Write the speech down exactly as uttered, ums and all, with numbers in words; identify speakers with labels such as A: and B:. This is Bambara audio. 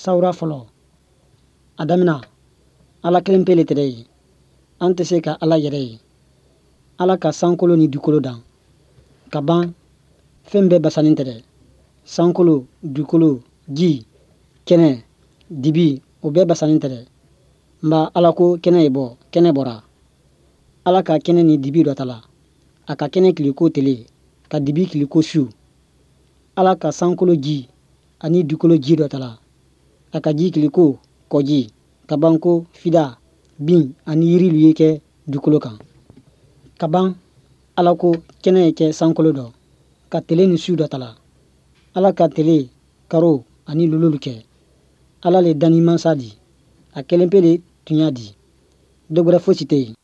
A: Sawura fɔlɔ. A damina, Ala kelen pe le tɛrɛ ye. An tɛ se ka Ala yɛrɛ ye. Ala ka sankolo ni dukolo dan. Ka ban, fɛn bɛɛ basanin tɛrɛ. Sankolo, dukolo, ji, kɛnɛ, dibi, o bɛɛ basanin tɛrɛ. Nba Ala ko kɛnɛ ye bɔ, kɛnɛ bɔra. Ala ka kɛnɛ ni dibi dɔ ta la. A ka kɛnɛ kili ko tele, ka dibi kili ko su. Ala ka sankolo ji ani dukolo ji dɔ ta la. A ka ji kili ko kɔji, ka ban ko fida, bin ani yirilu ye kɛ dukolo kan. Ka ban, Ala ko kɛnɛ ye kɛ sankolo dɔ, ka tele ni su dɔ ta la. Ala ka tele, karo ani lololu kɛ. Ala le danni mansa di. A kelen pe le tuɲa di. Dɔ gwɛrɛ fosi tɛ yen.